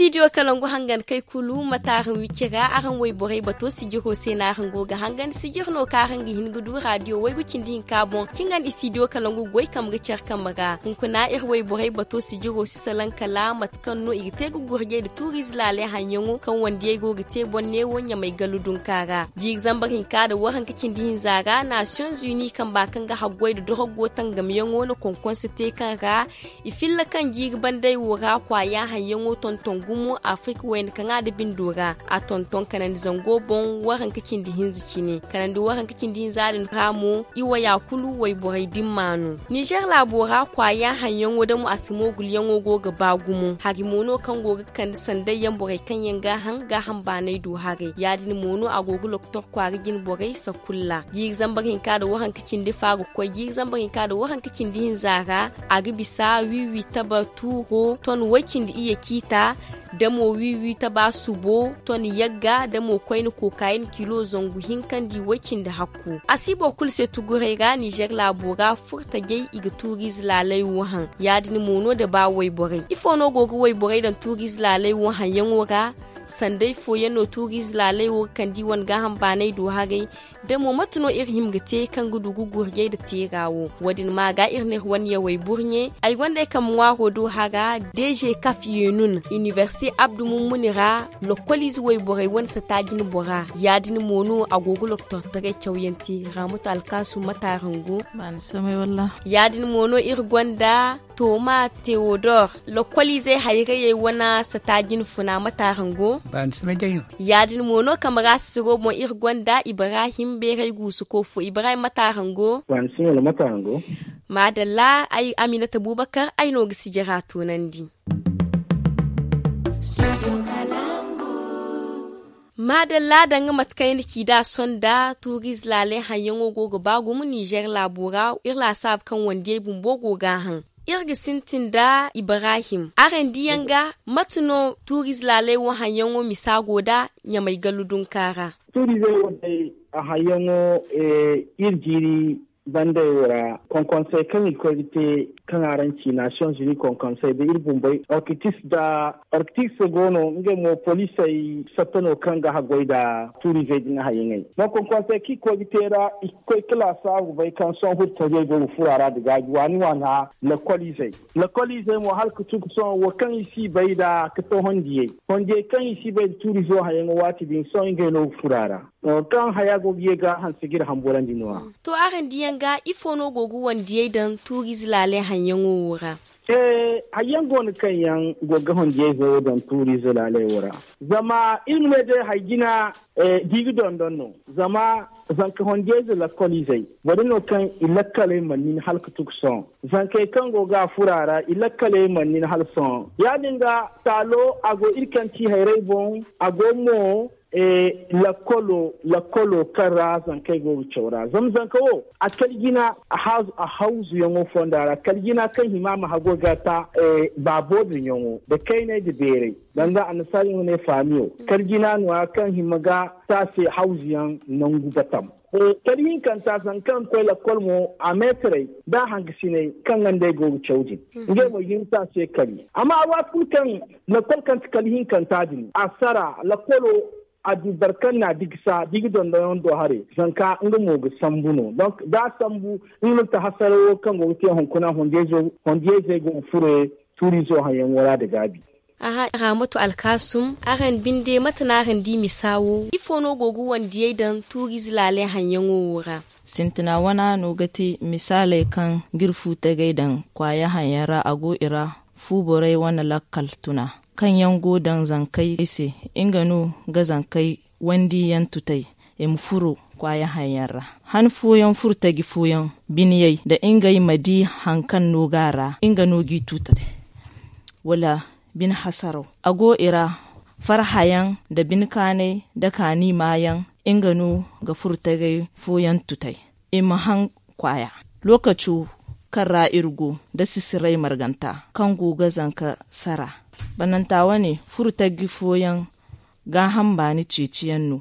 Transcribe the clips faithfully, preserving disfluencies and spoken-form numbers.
Istidiyo kalangu hangan kay kulu mate araŋ wicce ra araŋ wayborey bato sijiro se no araŋ go ga hangan sijir no kaŋ araŋ ga hin ga du radiyo waygu cindi hinka boŋ cingan istidiyo kalangu goy kambe ga care kambe ra hunkuna iri wayborey bato sijiro si salaŋ kala mate kaŋ no i ga te ga gurjey nda tuuriize laaley haŋyaŋo kaŋ wandiyey go ga te boŋ neewo ɲamay gallu dunka ra. Jiiri zambar hinka nda waranka cindi hinza ra nasiyoŋ zuni kamba kaŋ ga haggoy nda dorogo tangamyaŋo na konkonse te kaŋ ra i filla kaŋ jiiri bandey wo ra kwaaya haŋyaŋo tonton gumo afirika wayna kaŋ a da bindo ra a tonton kanandi zango boŋ waranka cindi hinza cine kanandi waranka cindi hinza din ra mo i waya kulu wayborey dimma no. Nizer laabo ra kwaaya haŋyaŋo damo a si moogulyaŋo go ga ba gumo hari mo no kaŋ go ga kande sanday yaŋ borey kaŋ yaŋ ga a haŋ gaaham baanay do haray ya- din mo no a go ga lokotor kwaara jine borey sakulla jiiri zambar hinka nda waranka cindi fa ga koy jiiri zambar hinka nda waranka cindi hinza ra a ga bisa wiwi taba tuuro ton way cindi iyye ciita damo wiwi taba subo ton yagga damo koyne kookayen kilo zangu hinka nda i way cindi hakku a si boro kulu se tuguray ra nizer laabo ra furtajey i ga tuuriize laaley wo haŋ ya- din mo no nda ba wayborey ifo no go ga wayborey daŋ tuuriize laaley wo haŋyaŋo ra sanday fooyaŋ no tuuriize laaley wo ga kande i wane gaaham baanay do haray da mo mate no iri hima ga te kaŋ ga du ga gurjey nda teera wo wo- din ma ga iri ne iri wane yawey burɲe ay gonda ay kambe ŋwaaro do hara deeze kaf yenun inibersite abdu mummuni ra lokoliize wayborey wane sata jine bora ya- din mo no a go ga lokotortaray cawyaŋ te raamatu alkaasum mate araŋ go ya-din mo no iri gonda toma teodor lokoliizey hayrayey wane sata jine funa mate araŋ go ya-din mo no kambe ra sisiro boŋ iri gonda ibrahim beeray guusuko fo ibrahim mate araŋ go maadalla ay aminata bubakar ay no ga sijira toonandi maadalla danga mate kaŋ ay na ci da a sonda tuuriize laaley haŋyaŋo go ga ba gumo nizer laabo ra iri laasaabu kaŋ wandiyey bumbo go ga a haŋ iri ga sintin nda ibrahim araŋ diyaŋ ga mate no tuuriize laaley wo haŋyaŋo misa go nda ɲamay gallu dunka ra tuuriizey wo day a haŋyaŋo iri jiiri bandey wo ra konkonsey kaŋ i ga koy ga te kaŋ araŋ ci nation zuni konkonsey da iri bumbey orkitis da orkitis go no ngey mo polisey satta no kaŋ ga haggoy nda tuurizey din hayaŋey ma konkonsey kaŋ i ga koy ga te ra i ga koy ga laasaabu bay kaŋ sohõ furtajey go ga furo a ra da gaaji waani waana lakkol izey lakkol izey mo hala ga tun ga sohõ wo kaŋ i si bay nda ga to hondiyey hondiyey kaŋ i si bay nda tuurizo hayaŋo waati din sohõ ngey no ga furo a ra kaŋ haya go ga ye ga hanse ga iri hamburandi no-ya. To araŋ diyaŋ ga ifo no go ga wandiyey daŋ tuuriize laaley haŋyaŋo wo ra? Ee, hari yaŋ go no kaŋ yaŋ go ga wandiyey zey wo daŋ tuuriize laaley wo ra. Zama iri ma ne day hari jina da i ga dondon no. Zama zanka wandiyey zey lakkol izey boro no kaŋ i lakkaley mana nin hala ga tun ga sohõ. Zankey kaŋ go ga a furo a ra i lakkaley mana nin hala sohõ ya- din ga taalo a go iri kaŋ ci hayrey boŋ a go mo lakkolo kaŋ ra zankey go ga caw ra zama zanka wo a kala jina a hawzuyaŋo fonda ra kala jina kaŋ hima ma hago ga ta baabo din yaŋo nda kayney nda beerey danga annasaari yaŋ ga ne faamiyo kala jina no- ya kaŋ hima ga taase hawzuyaŋ nangu batam. Kala hinkanta zanka kaŋ ga koy lakkol mo a meetarey nda a hangasiney kaŋ ga nd'ey go ga caw din ngey mo i ga hin ga taase kali amma a waati kulu kaŋ lakkol kaŋ ti kala hinkanta din a sara lakkolo a du boro kaŋ na a digisa da i ga dondonyaŋ do haray zanka nga mo ga sambu no donk da a sambu nga no ga ti hasarawo kaŋ go ga te hunkuna hondiyayzey go ga furo tuuriizo haŋyaŋo ra nda gaabi. Aha raamatu alkaasum araŋ binde mate no araŋ di misa wo ifo no go ga wandiyey daŋ tuuriize laaley haŋyaŋo wo ra? Sintina wana no ga ti misaaley kaŋ ga iri fuutagey daŋ kwaaya haŋyaŋ ra a go i ra fu borey wane lakkal tuna kaŋ yaŋ go daŋ zankey se nga no ga zankey wandiyaŋ tutay i ma furo kwaaya haŋyaŋ ra. Han fooyaŋ furtaji fooyaŋ biniyey nda ngey ma di haŋ kaŋ no ga a ra nga no g'i tutay wala bine hasaraw a go i ra farhayaŋ nda bine kaanay nda kaani maayaŋ nga no ga furtagey fooyaŋ tutay i ma haŋ kwaaya. Lookaco kaŋ ra iri go nda sisiray marganta kaŋ go ga zanka sara bananta wane furtaji fooyaŋ gaaham baani ceeciyaŋ no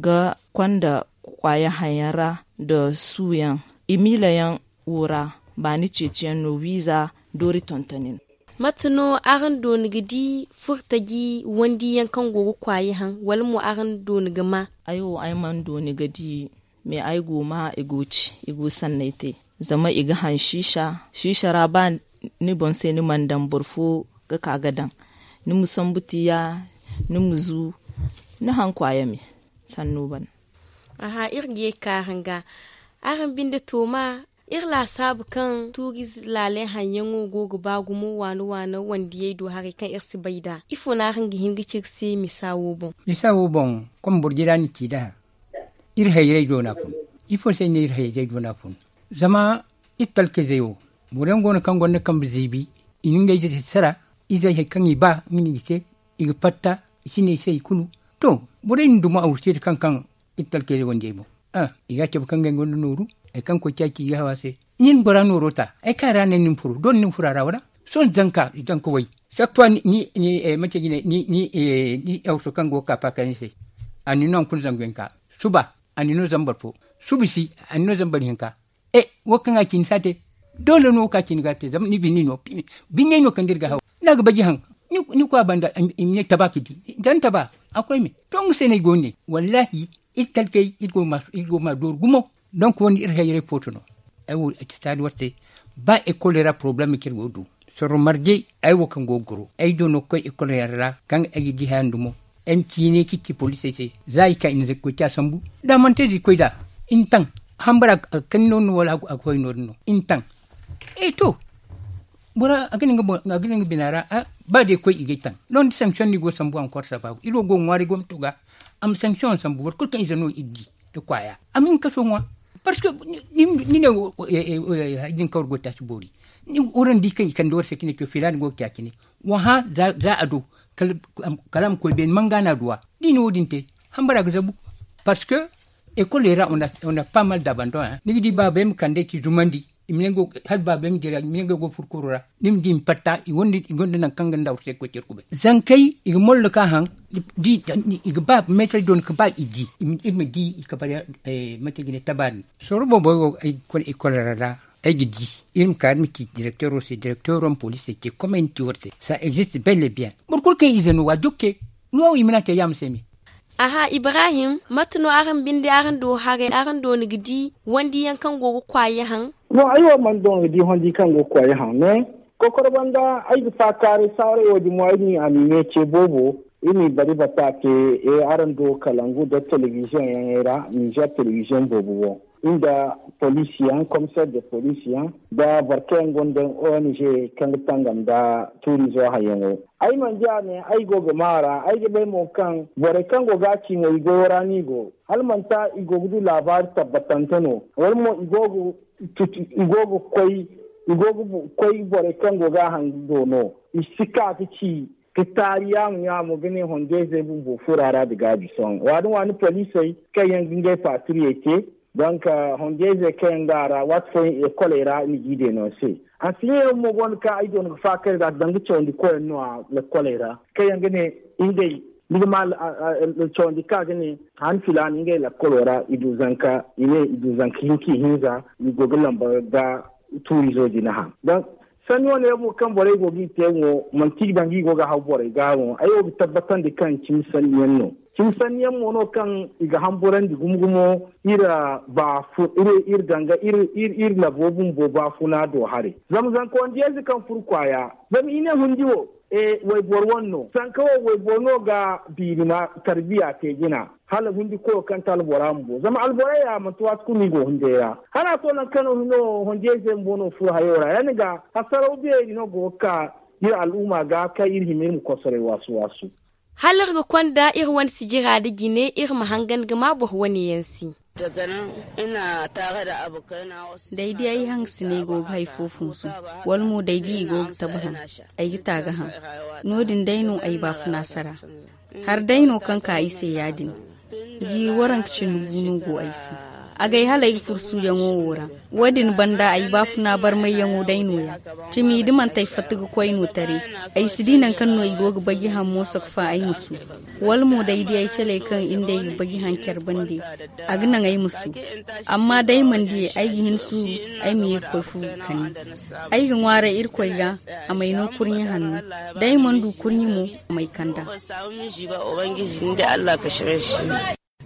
ga konda kwaaya haŋyaŋ ra nda suuyaŋ i miilayaŋ wo ra baani ceeciyaŋ no wiiza doori tontoni no. Mate no araŋ dooni ga di furtaji wandiyaŋ kaŋ go ga kwaayi haŋ, wala mo araŋ dooni ga ma? Ay wo ay mana dooni ga di. Mais ay go ma i go ci, i go sanney te. Zama i ga haŋ siisa siisa ra ba ni boŋ se ni mana daŋ boro fo ga ka ga daŋ. Ni ma sambu tiya, ni ma zu, ni haŋ kwaaya me. Sannu bana. Aha, iri ga ye ka araŋ ga. Araŋ binde tooma, iri laasaabu kaŋ tuuriize laaley haŋyaŋo go ga ba gumo waana waana wandiyey do haray kaŋ iri si bay nd'a. Ifo no araŋ ga hin ga ci iri se misa wo boŋ? Misa wo boŋ, kom boro jira ni ci nd'a. Iri hayrey do no a fun. Ifo se no iri hayrey do no a fun? Zama iri talkayzey wo, boro yaŋ go no kaŋ gonda kambe ziibi, i na ngey zey sara, izey hari kaŋ i ba nga no i ga te, i ga fatta, i si ne i se i kulu. To, borey na dumo awru se da kaŋ kaŋ iri talkayzey wandiyey boŋ. I ga a cabe kaŋ ngey gonda nooru, hari kaŋ koy caaci i ga haw a se. Nin bora nooro ta, hari kaŋ a ra no ni ma furo doole ni ma furo a ra wala? Sohõ zanka zanka way, saktuwa ni ni ni manti jine ni ni awso kaŋ go ga ka faakay ni se. A na ni no hunkuna zangu hinka, suba a na ni no zambar fo, suba si a na ni no zambar hinka. E, wo kaŋ a ci ni si a te. Doole no wo kaŋ a ci ni ga a te zama ni binne no. Binne no kaŋ da iri ga haw, ni a ga baji haŋ. Ni koy a banda, i ma ne taba ka di. Da ni taba a koy me to nga se no ay go ne. Wallaahi, iri talkey iri go ma dooru gumo. Donk wo- ne iri hayrey footo no. Ay wo a ci saani war se. Ba ekol ra porobalem kaŋ iri go ga du, sorro marje. Ay wo kaŋ go ga goro ay do no ga koy ekol yaŋ ra kaŋ ay ga di haya nda mo. Ay ma ciine ka ci poliisey se, za i ka i na zay ga koy ci a sambu. Da a mana te da i koy nd'a, i na taŋ hambara ga kani no- din no wala a ga hoy no- din no i na taŋ. E to, bora a ga ne nga bina ra. Ba day koy i ga ay taŋ. Londi sanction no i go ga sambu encore sababu iri wo go ga ŋwaaray gomnato ga. A ma sanction sambu boro kulu kaŋ ize no iri di, nda kwaaya a ma hin kaso ŋwa. Parce que ni ne wo, hay din kaŋ war go ga taaci boori. War na di kaŋ i kande war se ka ne to filaana go ga te a cine. Wa hã za a do, kala a ma koy beene manga no a du a. Da i na wo- din te, hambara ga zabu. Parce que ekol ra, on a pas mal d'abandon. Ni ga di baabey ma kande ka i zumandi, hala baabey ma dira i ma ne ngey go ga furo kuro ra. Ni ma di i ma fatta i gonda nangu kaŋ ga nda war se ga koy care kubay zankey i ga mollo ka haŋ. I ga ba meetar dooni ka ba i di. Iri ma di i kabari. Mate ga ne tabaari. Sorro boobo ay go ga koy ekol ra ra. Ay ga di iri ma ka iri ma ci direkteero se direkteero ma poliisey ce komey ni ci war se ça existe belle bien. Boro kulu kaŋ ize no wa jokke. No i mana te yaama se me. Aha ibrahim, mate no araŋ binde araŋ do haray araŋ do ni ga di wandiyaŋ kaŋ go ga kwaayi haŋ? No ay wo mana do ni ga di wandi kaŋ go ga kwaayi haŋ mais kokoro banda ay ga faakaaray saaray wo- din mo ay n'i anime ce boobo. Iri n'i bari bata te. Araŋ do kalangu nda telebiziyoŋ yaŋey ra nizer telebiziyoŋ boobo boŋ, nda poliisi yaŋ komiseer de poliisi yaŋ, nda boro kaŋ yaŋ gonda ong kaŋ ga tangam nda tuurizo hayyaŋo. Ay mana di a ne ay go ga maa ra ay ga bay mo kaŋ borey kaŋ go ga a ci mo i goyo ra no i go. Hala manti i go ga du laabaari tabbatante no wala mo i go ga koy i go ga koy borey kaŋ go ga a haŋ do no. I si ka ga ci ka taari yaamo yaamo ga ne hondeezey bumbo furo a ra da gaabi sohõ waadin waani poliisey kaŋ yaŋ ga ngey paatiriyey te. Donk hondeezey kaŋ yaŋ go a ra waati fooyaŋ ekoley ra ni g'i deenon se. Hansiyaŋ yaŋ mo go no kaŋ ay go no ga faakar nd'a danga cawandi koyaŋ no a lekkoley ra kaŋ yaŋ ga ne ngey ni ga ma cawandi kaŋ a ga ne han filaana ngey lekkolo ra i du zanka i ne i du zanka hinka ihinza. I go ga lamba ga tuurizo jina haŋ. Sanni wane yaŋ mo kaŋ borey go ga i te mo manti i ga danga i go ga haw borey ga mo ay wo ga tabbatandi kaŋ cimi sanni yaŋ no. Cimi sanni yaŋ mo no kaŋ i ga hamburandi gumo gumo iri baafu iri danga iri labo bumbo baafuna do haray. Zama zanka wandiyayze kaŋ furo kwaaya zama i ne hundi wo wayboro wane no zanka wo wayboro no ga biiri ma tarbiya te jina. Hala hundi koyo kaŋ te albora bumbo zama alborey ya manti waati kulu no i go hunday ra. Hala a to nangu kaŋ no hino honjey se bumbo no furo hayo ra ya- din ga hasaraw beeri no go ga ka iri al'umma ga kaŋ iri hima iri ma kosoray waasu waasu. Hala iri ga konda iri wane sijira nda jine iri ma hangan ga ma boro wane yaŋ se. Day di ay hangasiney go ga hari fo funsu wala mo day di i go ga tabahan, ay ga taagahan. No- din day no ay baafuna sara. Hari day no kaŋ ka ay se ya- din. Ji waranka cindi gu no go ay se. Agay hala ay ga fursuyaŋo wo ra. Wo- din banda ay baafuna barmayyaŋo day no- ya. Cimi da manti ay fatta ga koy no taray. Ay si di nangu kaŋ no i go ga baji haŋ mo soko fa ay ma su. Wala mo da ay di ay caley kaŋ iri nd'ey ga baji haŋ care bande, a ga naŋ ay ma su. Amma da ay mana di, ay ga hin suuru, ay ma ye ga koy fu ga kani. Ay ga ŋwaaray irkoy ga, a m'ay no kurɲe hanno. Da ay mana du kurɲe mo, a m'ay kand'a.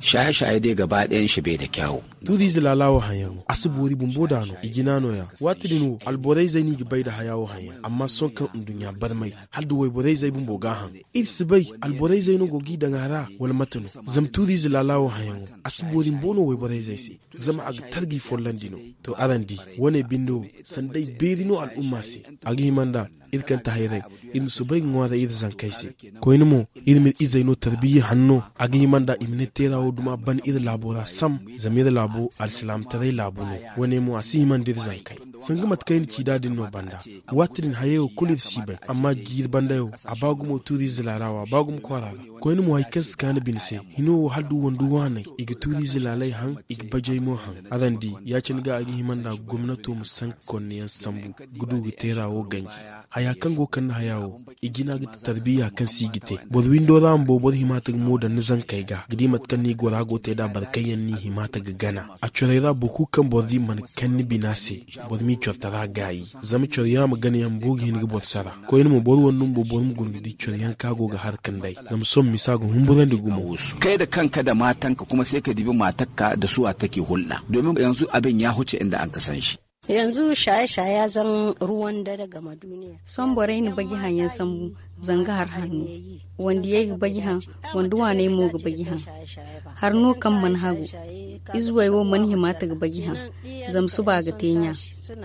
Shaye-shaye dai gaba ɗayan shi bai da kyawu. Tuuriize laalaawo haŋyaŋo a si boori bumbo da no i jina no-ya. Waati din wo alborayzey no i ga bay nda haya wo haŋyaŋ amma sohõ kaŋ nduɲɲa barmay, hala nda wayborayzey bumbo ga a haŋ. Iri si bay alborayzey no go g'i daŋ a ra, wala mate no? Zama tuuriize laalaawo haŋyaŋo, a si boori bumbo no wayborayzey se. Zama a ga tarbi follandi no. To araŋ di, wo- ne binde wo, sanda ay beeri no al'umma se. A ga hima nda iri kaŋ ti hayray, iri ma soobay ga ŋwaaray iri zankey se. Koyne mo, iri m'iri izey no tarbiyya hanno. A ga hima nda i ma ne teera wo duma ban iri laabo ra sam. Zama iri laabo alsilaamataray laabu no. Wo- ne mo a si hima nda iri zankey, sanga mate kaŋ ay na ci nd'a din no banda. Waati din hayey wo kulu iri si bay, amma jiiri banda yaŋ, a ba gumo tuuriize laala wo a ba gumo kwaara ra. Koyne mo hari kaŋ si kaanu bine se, hino wo hala nda wando waaney, i ga tuuriize laaley haŋ, i ga bajey mo haŋ. Araŋ di, ya- cine ga a ga hima nda gomnato ma sanka konneyaŋ sambu, ga du ga teera wo ganji. Haya kaŋ go ga kande haya wo, i jina ga ti tarbiyya kaŋ se i ga te. Boro windo ra bumbo boro hima ta ga mo daŋ ni zankey ga ga di mate kaŋ no i gora go te nd'a boro kaŋ yaŋ no i hima ta ga gana. A corey ra boro kulu kaŋ boro di mana kaŋ ni bina se, boro m'i cortara gaayi. Zama coro yaŋ a ma gana yaŋ bumbo ga hin ga boro sara. Koyne mo boro wande bumbo boro ma guna ga di coro yaŋ kaŋ a go ga har ga nday. Zama sohõ misa ga humburandi gumo. Kay da kanka da maatanka kuma sai ka dibi maatakka da suwa take hulɗa domin yanzu abin ya huce inda an ka san shi. Yanzu shaye-shaye ya zan ruwan dare game duniya. Sohõ borey na baji haŋ yaŋ sambu, zanga har hanno. Wandiyey ga baji haŋ, wandi waaney mo ga baji haŋ. Har no kaŋ mana hagu, izuwey wo mana hima ta ga baji haŋ. Zama suba ga te ɲa.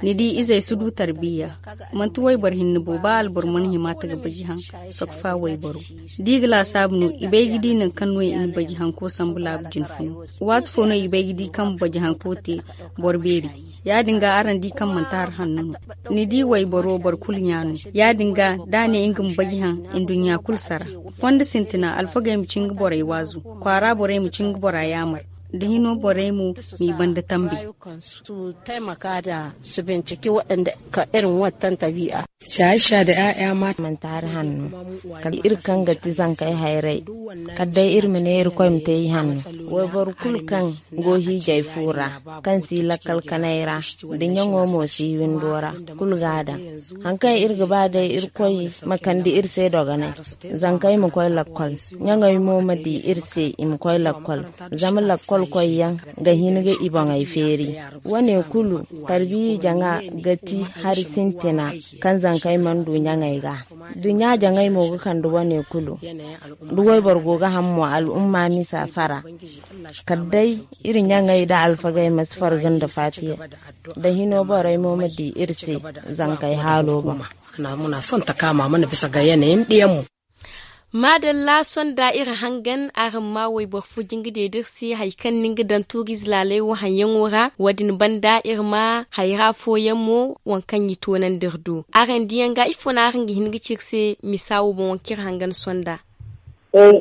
Ni di izey si du tarbiyya. Manti wayboro hinne bo ba alboro mana hima ta ga baji haŋ, sokfa wayboro. Da i ga laasaabu no i bay ga di nangu kaŋ no i na baji hanko sambu laabu jinfuno. Waati fo no i bay ga di kaŋ baji hanko te boro beeri. Ya- din ga araŋ di kaŋ manti har hanno no. Ni di wayboro boro kulu ɲa no. Ya- din ga da a ne nga ma baji haŋ, nduɲɲa kulu sara. Fondo sintina alfagey ma ci nga borey waazu. Kwaara borey ma ci nga bora yaamar. Da hino borey mo m'i banda tambi. Su taimaka da su binciki waɗanda ka irin wattan tabi'a. Shaye-shaye da ƴaƴa mata manti hari hanno. Kala iri kaŋ ga ti zankey hayray, kala day iri ma ne irkoy ma te i hanno. Wayboro kulu kaŋ go hiijay fu ra, kaŋ si lakkal kanay ra, da ɲaŋo mo si windo ra, kulu ga a daŋ. Hari kaŋ iri ga ba day irkoy ma kande iri se dogonay, zankey ma koy lakkol, ɲaŋey mo ma di iri se i ma koy lakkol. Zama lakkol koyyaŋ ga hin ga i boŋey feeri. Wo- ne kulu, tarbiyya jaŋa ga ti hari sintina kaŋ zankey mana du ɲaŋey ga. Da ɲa jaŋey mo ga kande wo- ne kulu, da wayboro go ga ham mo al'umma misa sara. Kala day iri ɲaŋey da alfagey ma si farga nda faatiya, da hino borey mo ma di iri se zankey haalo boŋ. Muna son ta kaama mana bisa ga yanayin ɗiyanmu. Maadalla sonda iri hangan araŋ ma wayboro fo jingade da iri se hari kaŋ ni nga daŋ tuuriize laaley wo haŋyaŋo ra. Wo- din banda iri ma hayra fooyaŋ mo waŋ kaŋ i toonandi iri do. Araŋ diyaŋ ga ifo no araŋ ga hin ga ci iri se misa wo boŋ waŋ kaŋ iri hangan sonda?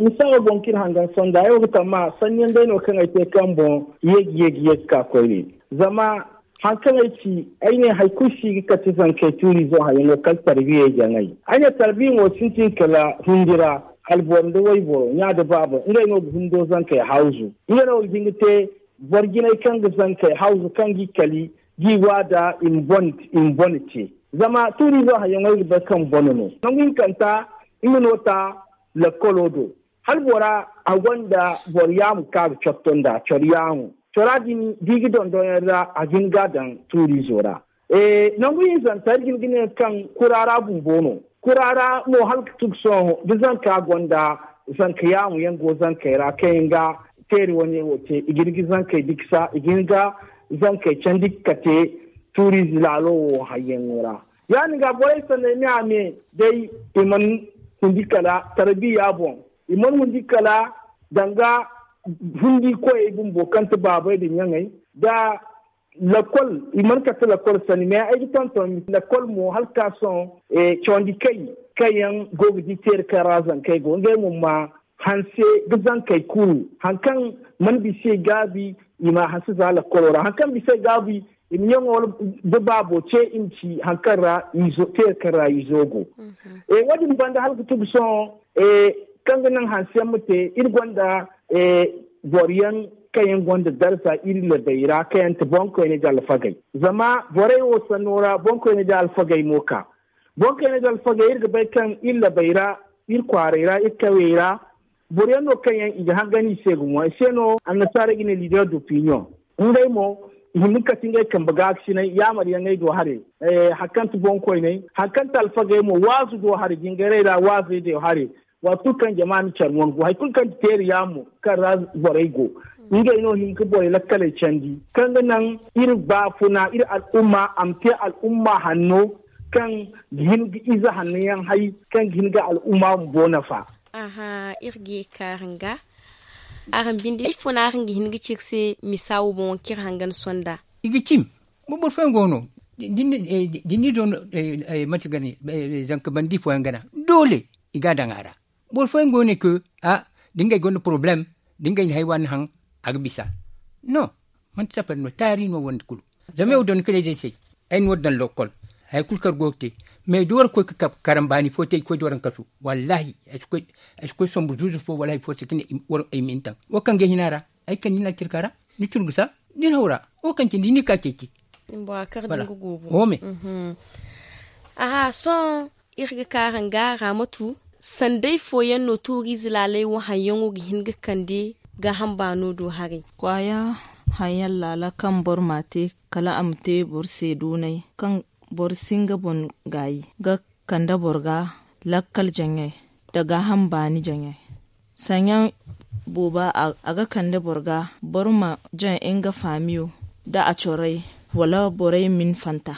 Misa wo boŋ kaŋ iri hangan sonda ay wo ga tamma sanniyaŋ day no kaŋ ay te kaŋ boŋ yeeji yeeji yeeji ka koyne. Zama hari kaŋ ay ci, ay ne hari kulu si ga kate zankey tuuriizo hayaŋo kala tarbiyey jaŋay. Ay ne tarbiya mo sintin kala hundi ra. Alboro nda wayboro, ɲa nda baaba, ngey no ga hundo zankey hawzu. Ngey no ga hin ga te boro jinay kaŋ ga zankey hawzu kaŋ g'i kali, g'i waada i ma bone te. Zama tuuriizo hayaŋo ay ga bay kaŋ bone no nangu hinkanta. Nga no ta lakkolo do. Hala bora a gonda boro yaamu kaŋ a ga cotto nda coro yaamu. Cora din da i ga dondonyaŋ ra a ga hin ga a daŋ tuuriizo ra. Nangu hinzanta iri ga hin ga ne kaŋ kura ra bumbo no. Kura ra mo hala ga tun ga sohõ da zanka gonda zanka yaamu yaŋ go zankey ra kaŋ yaŋ ga teeri wane wo te i ga hin ga zankey diksa i ga hin ga zankey candi ga kate tuuriize laalo wo hayyaŋo ra. Ya- din ga borey sanney me a me day i mana hundi kala tarbiya boŋ. I mana hundi kala danga hundi koyey bumbo kaŋ ti baabey nda ɲaŋey nda lakkol. I mana kate lakkol sani me ay ga tonton lakkol mo hala ka sohõ cawandi kay kaŋ yaŋ go ga di teeri kaŋ ra zankey go ngey mo ma hanse ga zankey kuru hari kaŋ mana bisa i gaabi. i ma hanse za lakkolo ra hari kaŋ bisa ay gaabu i ma ɲaŋo da baabo ce i ma ci hari kaŋ ra izo teeri kaŋ ra izo go. Wo- din banda hala ga tugu sohõ kaŋ ga naŋ hanse yaŋ ma te iri gonda boro yaŋ kaŋ yaŋ gonda darza iri labey ra kaŋ yaŋ ti boŋkoyney nda alfagey. Zama borey wo sanno ra boŋkoyney nda alfagey mo ka boŋkoyney nda alfagey iri ga bay kaŋ iri labey ra iri kwaarey ra iri kawyey ra boro yaŋ no kaŋ yaŋ i ga hangan i se gumo ay se no annasaarey ga ne leader d'opinion. Ngey mo i hin ga kate ngey kambe gaakasinay yaamar yaŋey do haray. Hari kaŋ ti boŋkoyney hari kaŋ ti alfagey mo waazu do haray jingarey ra waazey do haray. Waati kulu kaŋ jama na care wangu hari kulu kaŋ ti teeri yaamo kaŋ ra borey go ngey no hin ga borey lakkaley candi kaŋ ga naŋ iri baafuna iri al'umma a ma te al'umma hanno kaŋ ga hin ga ize hanno yaŋ hay kaŋ ga hin ga al'umma bumbo nafa. Aha, iri ga ye ga kaarum ga araŋ binde ifo no araŋ ga hin ga ci iri se misa wo boŋ wo kaŋ iri hangan sonda? I ga cim. Boro fooyaŋ go no da ni do no manti gana zanka bandi fooyaŋ gana doole i ga a daŋ a ra. Boro fooyaŋ go no kaŋ a da ngey gonda porobalem da ngey na hari waani haŋ a ga bisa. No, manti safari no taari no wande kulu. Zama yaw donda kala ay day se ay na wo daŋ lokkol. Hari kulu kaŋ ay go ga te mais da war ga koy ga karambaani fo te ay ga koy da war daŋ kasu. Wallaahi ay si koy sombu zuuzu fo wala hari fo se ga ne ay ma hin taŋ wo kaŋ ga ay hina ra. Ay kande ni a cirka ra ni cun ga sa da ni haw ra. Wo kaŋ cindi ni ka ceeci. Bora kar da nga guubu. Wo me. Aha sohõ iri ga ka ranga ramatu sanday fooyaŋ no tuuriize laalay wo haŋyaŋo ga hin ga kande gaaham baano do haray. Kwaaya haŋyaŋ laala kaŋ boro m'a te kala a ma te boro se duunay kaŋ boro si nga boŋ gaayi ga kande boro ga lakkal jaŋay nda gaaham baani jaŋay. Saɲyaŋ booba a ga kande boro ga boro ma jaŋ nga faamiyo nda a corey wala borey ma ni fanta.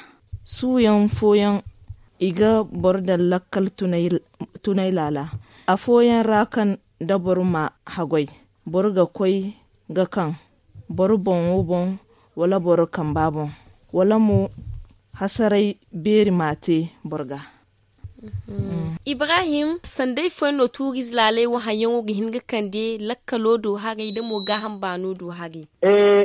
Suuyaŋ fooyaŋ i ga boro daŋ lakkal tunay laala. Afooyaŋ ra kaŋ da boro ma haggoy boro ga koy ga kaŋ boro boŋo boŋ wala boro kamba boŋ wala mo hasaray beeri m'a te boro ga. Ibrahim sanday fooyaŋ no tuuriize laalay wo haŋyaŋo ga hin ga kande lakkalo do haray da mo gaaham baano do haray?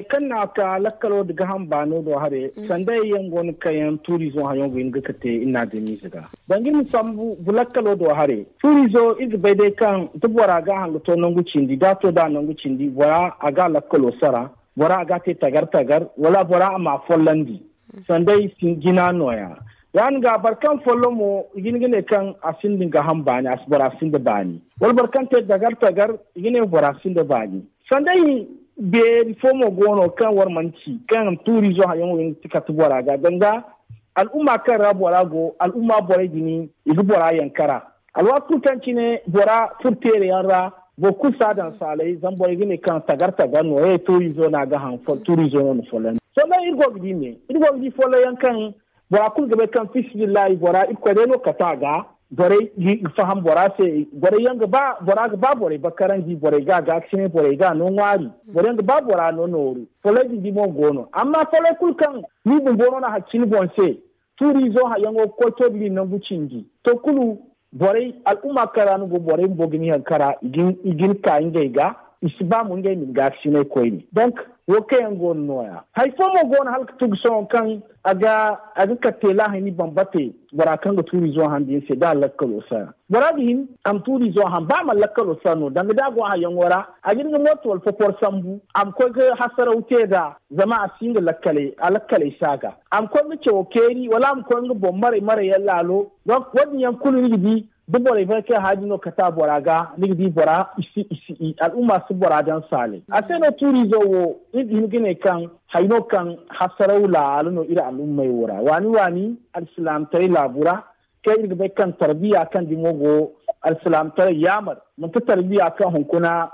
Kaŋ no a ka lakkalo nda gaaham baano do haray sanday yaŋ go no kaŋ yaŋ tuuriize wo haŋyaŋo ga hin ga kate iri na a damiize ga. Danga iri ma sambu lakkalo do haray tuuriizo iri ga bay day kaŋ da bora ga a haŋ ga to nangu cindi da a to nd'a nangu cindi bora a ga a lakkalo sara bora a ga a te tagar tagar wala bora a m'a follandi. Sanday jina nooya ya-din ga boro kaŋ follo mo i ga hin ga ne kaŋ a sinda nga ham baani a si bora sinda baani wala boro kaŋ te dagar tagar i ga ne bora sinda baani. Sanday beeri fo mo go no kaŋ war mana ci kaŋ tuuriizo haŋyaŋo ga hin ga ti kate bora ga danga al'umma kaŋ ra bora go al'umma borey din i ga bora yankara. Alwaati kulu kaŋ cine bora furo teere yaŋ ra boro kulu si a daŋ saalay zama borey ga ne kaŋ tagar tagar no ye tuuriizo no a ga haŋ tuuriizo no na follandi. Sohõ day iri go ga di ne iri go ga di folloŋ yaŋ kaŋ bora kulu ga bay kaŋ fiisabilillahi bora irkoy day no ga kate a ga. Borey ga faham bora se borey yaŋ ga ba bora ga ba borey bakkaranji borey ga a gaakasinay borey ga a no ŋwaari. Borey yaŋ ga ba bora no nooru. Folloŋ din di mo go no amma folloŋ kulu kaŋ ni bumbo no na haccini boŋ se tuuriizo hayaŋo ga koy to da ni nangu cindi to kulu borey al'umma kaŋ ra ni go borey bumbo ga ni haŋ kara i ga ni ka ngey ga. I si ba mo ngey ma ni gaakasinay koyne donk wo kaŋ yaŋ go no nooya hari fo mo go no hala ga tugu sohõ kaŋ a ga kate laahini bambate bora kaŋ ga tuuriizo haŋ din se da a lakkalo sara bora ga hin a ma tuuriizo haŋ ba a mana lakkalo sara no danga da a go hayaŋo ra a ga hin ga mooto wala foforo sambu a ma koy ga hasaraw te nd'a. Zama a si nga lakkaley a lakkaley si a ga a ma koy nga cawo keeri wala a ma koy nga boŋ maray maray yaŋ laalo. Donk wo- din yaŋ kulu ni ga di da borey bay kaŋ yaŋ haya din no kate a bora ga ni ga di bora i si i si i al'umma si bora daŋ saalay a se no tuuriizo wo iri ga hin ga ne kaŋ hari no kaŋ hasaraw laalo no iri al'ummey wo ra waani waani alsilaamataray laabu ra kaŋ iri ga bay kaŋ tarbiya kaŋ dimo go alsilaamataray yaamar manti tarbiya kaŋ hunkuna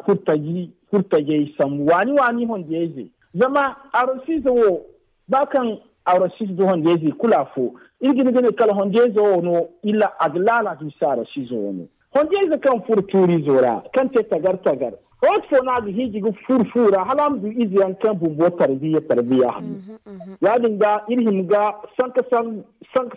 hurtajey sambu waani waani honjeyze. Zama arosiize wo ba kaŋ arosiize nda honjeyze i kulu afo iri ga hin ga ne kala honjeyze wo no illa a ga laala ga bisa arosiize wo no. Honjeyze kaŋ furo tuuriizo ra kaŋ te tagar tagar waati fo no a ga hiiji ga furo fu ra hala a ma du ize yaŋ kaŋ bumbo tarbiya tarbiya hanno. Ya- din ga iri hima ga sanka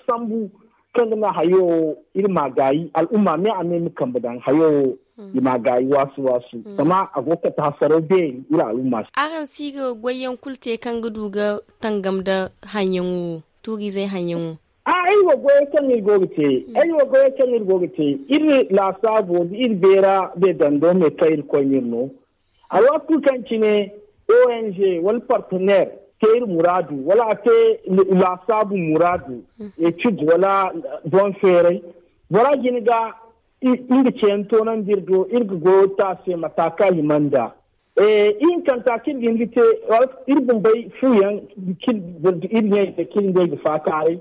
sambu kaŋ ga naŋ hayo wo iri m'a gaayi al'umma me a me ma kambe daŋ hayo wo. I ma a gaayi waasu waasu. Zama a go ga kate hasaraw beeri iri al'umma se. Araŋ si ga goyyaŋ kulu te kaŋ ga du ga tangam nda hanyaŋo wo, tuuriizey hanyaŋo? Iri wo goyey kaŋ iri go ga te, iri wo goyey kaŋ iri go ga te, iri laasaabo da iri beera de dando me kaŋ iri koy no iri no. Alwaati kulu kaŋ cine ong wala partenaire te iri muraadu wala a te laasaabu muraadu, etid wala boŋ feeray, bora jina ga nga ceeyaŋ toonandi iri do iri ga goyo te a se mata kaŋ a hima nd'a. Ihinkanta kaŋ iri ga hin ga te, iri bumbey fuyaŋ, iri ɲey da kaŋ iri ngey ga faakaaray.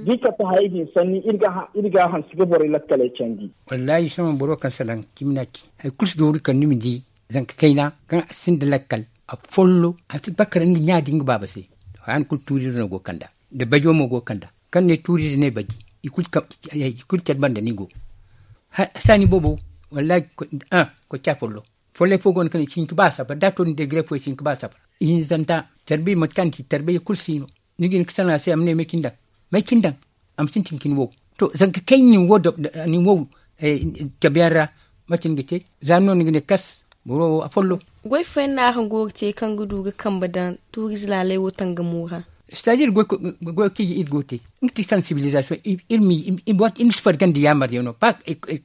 Da i kate hayey din sanni iri ga hanse ga borey lakkaley candi. Wallaahi sohõ boro kaŋ salaŋ cimi no a ci hari kulu si dooru kala ni ma di zanka kayna kaŋ a sinda lakkal, a follo a si bakar nga ɲa da nga baaba se. Haya ni kulu tuuriize no go ga kand'a, da bajo mo go ga kand'a. Kaŋ ne tuuriize ne baji, i kulu care banda no i go. Saani boobo, wallaahi, koy ca follo. Follay fo go no kaŋ i si hin ga ba sabar da a to ni degre fo i si hin ga ba sabar. Ihinzanta tarbiyya mate kaŋ a na ci tarbiyya kulu si no. Ni ga hin ga salaŋ a se a ma ne may cine daŋ, may cine daŋ. A ma sintin ga ni wow. To zanka kaŋ nin wow cabe yaŋ ra, mate ni ga te? Za ni no ni ga ne kas boro wo a follo. Goy fooyaŋ no araŋ go ga te kaŋ ga du ga kambe daŋ tuuriize laaley wo tangamo ra? Sitaadir goy kaŋ iri go ga te, nga ti sansibilizasiyoŋ. Iri ma si farga nda yaamaryaŋo ba.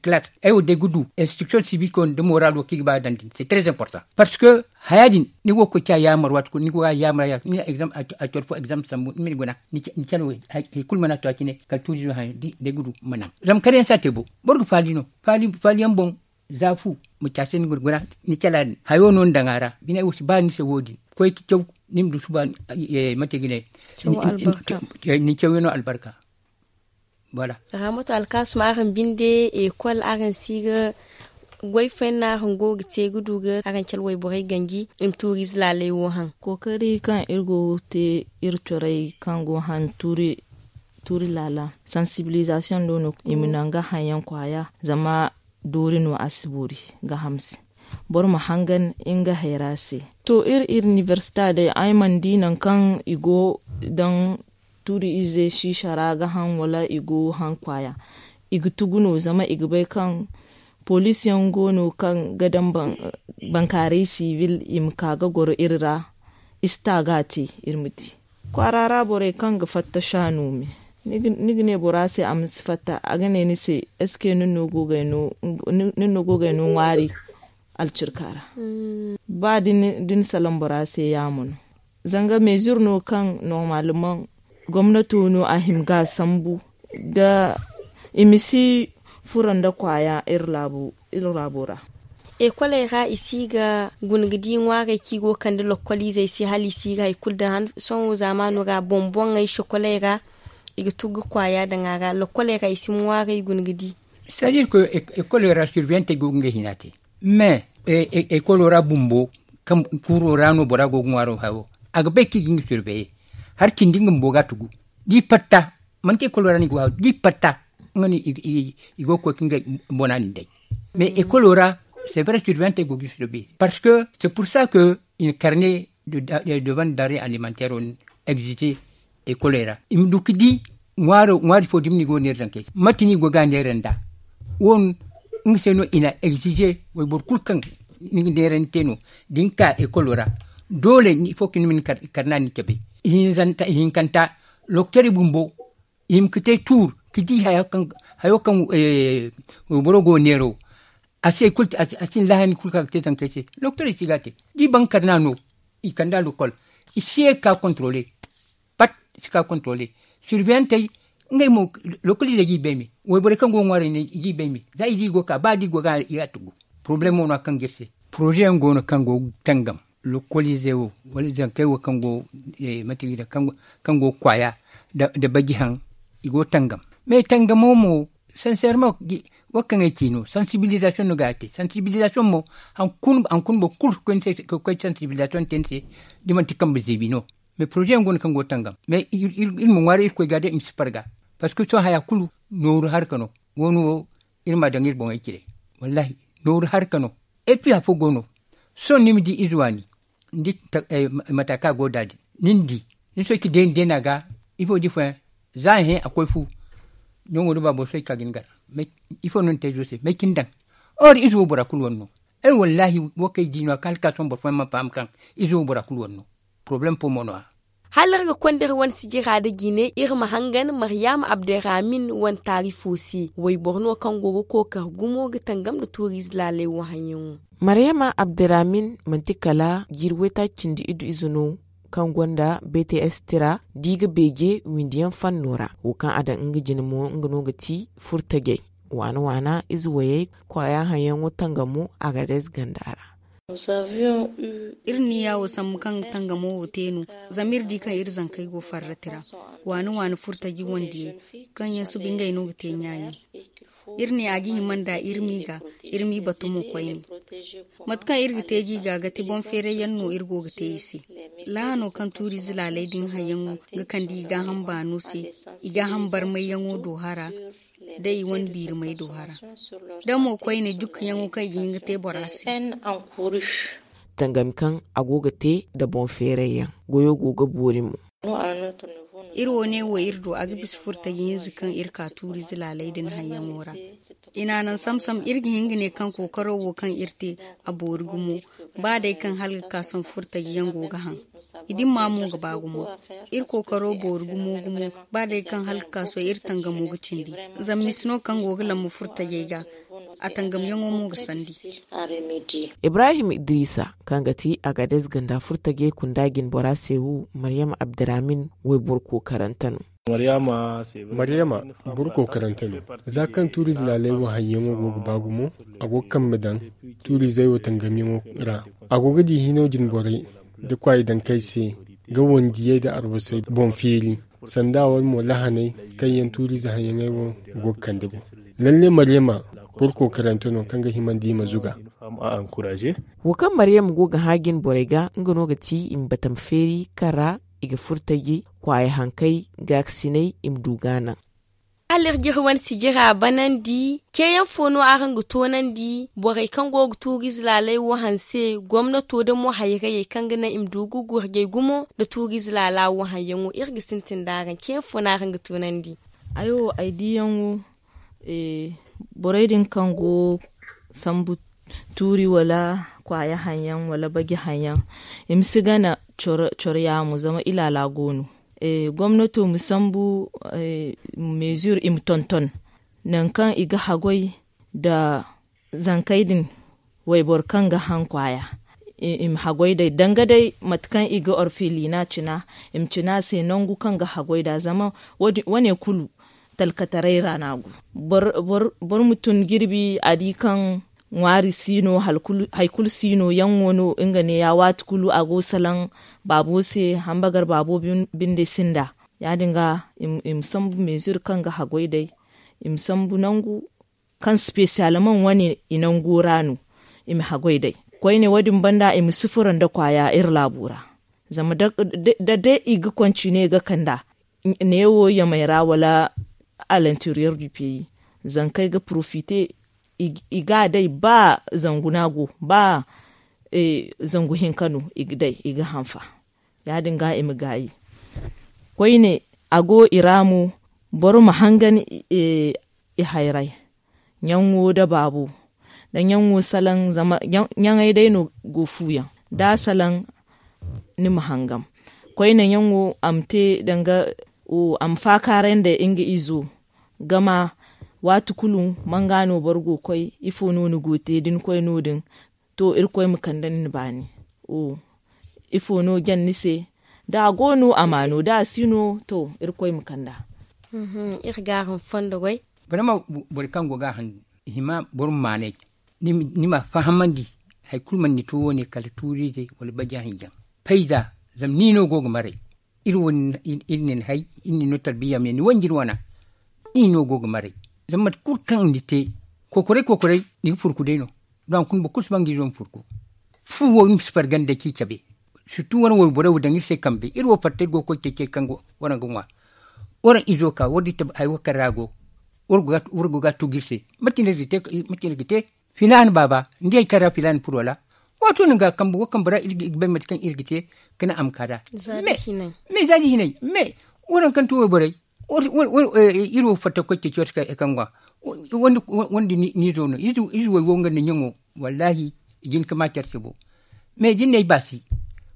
Kalaas ay wo day ga du instriktiyoŋ sibiko nda moraalo kaŋ i ga ba daŋ din se tres importans. Parce que haya din ni go ga koy ci a yaamar waati kulu ni go ga a yaamar a coro fo egzamp sambu ni ma ni guna. Ni care wo hari kulu mana to a cine kala tuuriizo hayo da ay ga du ma naŋ. Zama kare yaŋ si a te bo. Boro ga faali no faali yaŋ boŋ. Za fu ma ci a se ni guna ni cala din hayo no ni daŋ a ra bine ay wo si ba ni se wo- din. Koy ga caw ni ma du suba mate ga ne? Ni cawyaŋo albarka. Voilà. Rahmatu alkaasum araŋ binde ekol araŋ si ga goy fooyaŋ no araŋ go ga te ga du ga araŋ cala wayborey ganji i ma tuuriize laaley wo haŋ? Kookari kaŋ iri go ga te iri corey kaŋ go ga haŋ tuuri laala sansibilizasiyoŋ do no i ma naŋ ga haŋ yaŋ kwaaya. Zama doori no a si boori ga hamse boro ma hangan nga hayra se. To iri iniversita day ay mana di nangu kaŋ i go daŋ tuuri ize siisa ra ga haŋ wala i go haŋ kwaaya. I ga tugu no zama i ga bay kaŋ poliisi yaŋ go no kaŋ ga daŋ bankaaray sibil i ma ka ga goro iri ra. I si ta ga a te iri ma di kwaara ra borey kaŋ ga fatta shaano me. Ni ga ne bora se a ma si fatta a ga ne ni se eske nin no go ga ay no ŋwaari? Alcirka ra ba da ni salaŋ bora se yaamo no. Zanga mezir no kaŋ normalman gomnato no a hima ga a sambu da i ma si furo nda kwaaya iri laabo ra. Ekoley ra i si ga guna ga di ŋwaarey kaŋ i go ga kande lokkoliizey se hala i si ga hari kulu daŋ sohõ zaamaano ra boŋ-boŋey sokoley ra i ga tun ga kwaaya daŋ a ra lokkoley ra i si ma ŋwaarey guna ga di. Sitaadir ko ekoley ra sirbiyantey go ga ngey hina te mais ekolo ra bumbo kaŋ kuuro ra no bora go ga ŋwaaro hayo a ga bay kaŋ i ga nga sirbeye. Hari cindi nga bumbo ga a tugu da i fatta manti ekolo ra no i ga waaru da i fatta nga no i go ga koy ka ngey bona din day. Mais ekolo ra c'est vrai sirbiyantey go ga i sirbeye parce que c'est pour ça que i na karne de bande d'arrêt alimentaire wo din egzije ekoley ra i ma du ga di ŋwaari fo da ni go ga neera zankey se mate no i go ga a neera nd'a? Wo nga se no i na egzije wayboro kulu kaŋ ni ga neera ni te no da ni ka ekolo ra doole ifo ka ni ma ni karna ni cabe. Ihinkanta loktori bumbo i ma ga te tuur ga di hayo kaŋ wayboro go ga neera wo a si hay kulu a si ni lahani kulu kaŋ a ga te zankey se. Loktorey si ga a te da i ban karna no i kand'a lokol i si ye ga ka kontrole. Pat i si ka kontrole sirbiyantey ngey mo lokoliizey ga i bay me wayborey kaŋ go ga ŋwaaray ne i ga i bay me za i di i go ga ka ba da i go ga i ga a tugu. Poroblemo no a kaŋ ga iri se poroze yaŋ go no kaŋ go ga tangam lokoliizey wo wala zankey wo kaŋ go mate ga i ne kaŋ go ga kwaaya nda baji haŋ i go ga tangam. Mais tangamo mo sanseerma wo kaŋ ay ci no sansibilizasiyoŋ no ga a te sansibilizasiyoŋ mo haŋ kulu boro kulu ga koy sansibilizasiyoŋ te ni se da manti kambe ziibi no. Mais poroze yaŋ go no kaŋ go ga tangam mais iri ma ŋwaaray irkoy ga day i ma si farga. Parce que sohõ haya kulu nooru harka no. Wo- no wo iri ma a daŋ iri boŋey cire. Wallaahi nooru harka no. Epi afo go no sohõ ni ma di ize waani ni di mata kaŋ a go da din ni na di ni soy ga deeni deena ga ifo da ifooyaŋ za a hẽ a koy fu. Nango da baabo soy ga ka ga ni gar ifo no ni te izo se may cine daŋ? Or ize wo bora kulu wane no. Ay wallaahi, wo kaŋ ay di no a ka hala ka sohõ boro fooyaŋ mana faham kaŋ ize wo bora kulu wane no. Porobalem fo mo no- ya. Hala iri ga konda iri wane sijira nda jine iri ma hangan maryaama abderramin wane taarifo se. Wayboro no kaŋ go ga kookari gumo ga tangam nda tuuriize laaley wo haŋyaŋo. Maryaama abderramin manti kala jiiri waytaaci cindi iddu ize no, kaŋ gonda bts tira da i ga beeje windiyaŋ fanno ra. Wo kaŋ a daŋ nga jine mo nga no ga ti furtajey, waana waana ize wayey, kwaaya haŋyaŋo tangamo a ga day ize ganda ra. Iri niya wo sambu kaŋ tangamo wo te no, zama iri di kaŋ iri zankey go farrati ra. Waani waani furtaji wandiyey kaŋ yaŋ suba ngey no ga te ɲaayaŋ. Iri ne a ga hima nda iri m'i ga, iri m'i batu mo koyne. Mate kaŋ iri ga te ga i ga ga ti boŋ feeray yaŋ no iri go ga te i se. Laahano kaŋ tuuriize laaley din hayyaŋo ga kande i gaaham baano se, i gaaham barmayyaŋo do hara, da i wane biirimey do hara. Da mo koyne jukkuyaŋo kaŋ i ga hin ga te bora se. Tangami kaŋ a go ga te nda boŋ feeray yaŋ, goyo go ga boori mo. Iri wo ne wo iri do a ga bisa furtaji hinza kaŋ iri ka tuuriize laaley din hayyaŋo ra. I n'a naŋ samsam iri ga hin ga ne kaŋ kookaro wo kaŋ iri te a boori gumo. Ba day kaŋ hala ga ka sohõ furtaji yaŋ go ga haŋ, i dimma mo ga ba gumo. Iri kookaro boori gumo gumo. Ba day kaŋ hala ga ka sohõ iri tangamo ga cindi. Zama misi no kaŋ go ga lamma furtajey ga, a tangamyaŋo mo ga sandi. Ibrahim idrisa, kaŋ ga ti agadez ganda furtajey kunda jine bora se wo, maryama abderramin wayboro kookarante no. Maryama boro kookarante no. Za kaŋ tuuriize laaley wo hayyaŋo go ga ba gumo, a go ga kambe daŋ tuuriizey wo tangamyaŋo ra. A go ga di hino jine borey nda kwaayi dankey se, ga wandiyey nda arbasey boŋ feeri. Sanda wala mo lahaney kaŋ yaŋ tuuriize hayyaŋey wo go ga kande boŋ. Lalle maryama boro kookarante no kaŋ ga hima nda i ma zuga. Wo kaŋ maryama go ga hã jine borey ga nga no ga ti i ma batama feeri kaŋ ra i ga furtaji kwaaya hankey gaakasiney i ma du ga a naŋ. Hala iri ga iri wane sijira banandi ceeyaŋ fo no araŋ ga toonandi borey kaŋ go ga tuuriize laaley wo hanse gomnato da mo hayrayey kaŋ ga naŋ i ma du ga gurjey gumo nda tuuriize laala wo haŋyaŋo iri ga sintin da araŋ ceeyaŋ fo no araŋ ga toonandi? Ay wo ay diiyaŋo borey din kaŋ go sambu tuuri wala kwaaya haŋyaŋ wala baji haŋyaŋ, i ma si gana coro yaamo zama ilaala go no. Gomnato ma sambu meezur i ma tonton nangu kaŋ i ga haggoy nda zankey din. Wayboro kaŋ ga haŋ kwaaya i ma haggoy day danga day mate kaŋ i ga orfilina cina i ma cina se nangu kaŋ ga haggoy nd'a zama wane kulu talkataray ra no a go. Boro ma tun jirbi a di kaŋ ŋwaari si no hari kulu si no yaŋo no nga neeya waati kulu a go salaŋ baabo se hambagar baabo binde sinda. Ya- din ga i ma sambu meezur kaŋ ga haggoy day i ma sambu nangu kaŋ spesiyalmaŋ wane i nango ra no i ma haggoy day. Koyne wo- din banda i ma sufura nda kwaaya iri laabo ra zama da day i ga koncine ga kand'a neewo yamay ra wala alanteriyer du peyi zankey ga porofite i ga a day ba zangu no a go ba zangu hinka no i ga day i ga hanfa. Ya- din ga i ma gaayi koyne a go i ra mo boro ma hangan i hayray ɲaŋo nda baabo nda ɲaŋo salaŋ zama ɲaŋey day no go fuuyaŋ da salaŋ ni ma hangam. Koyne ɲaŋo a ma te danga a ma faakaaray nda nga izo gama waati kulu manga no boro go ga koy ifo no ni go ga te da ni koy no- din to irkoy ma kande ni ni baani. Ifo no jan ni se da a go no a ma no da a si no to irkoy ma kand'a. Iri ga araŋ fondo goy. Barama boro kaŋ go ga a handu i hima boro ma maanay ni ma fahamandi hari kulu mana ni to wo- ne kala tuuriize wala baja hinjaŋ payza. Zama ni no go ga maray iri wo iri ne ni hay iri ne ni no tarbiya me ni wanji ni wana. Iri no go ga maray zama mate kulu kaŋ ni te kokoray kokoray ni ga furku day no. Don a kuna boro kulu si ba nga izo ma furku fu wo iri ma si farga nda ci cabe. Surtu wane wayborey wo daŋ iri se kambe iri wo fatta iri go ga koy ceecey kaŋ waraŋ ga ŋwa. Waraŋ izo ka waraŋ di tabi hari wo kaŋ ra a go waraŋ go ga a tugu iri se. Mate no iri ga te filaana baaba ni di hari kaŋ ra filaana furo wala? Waato no ga kambe wo kambe ra iri ga bay mate kaŋ iri ga te ga naŋ a ma ka nd'a. Me za da hinay me waraŋ kaŋ ti wayborey Iri wo fatta koy ceeci wate kaŋ ga wandi ni zo no ize way wo nga nda ɲaŋo. Wallaahi i jin ka ma care se bo. Mais da ni na ay baasi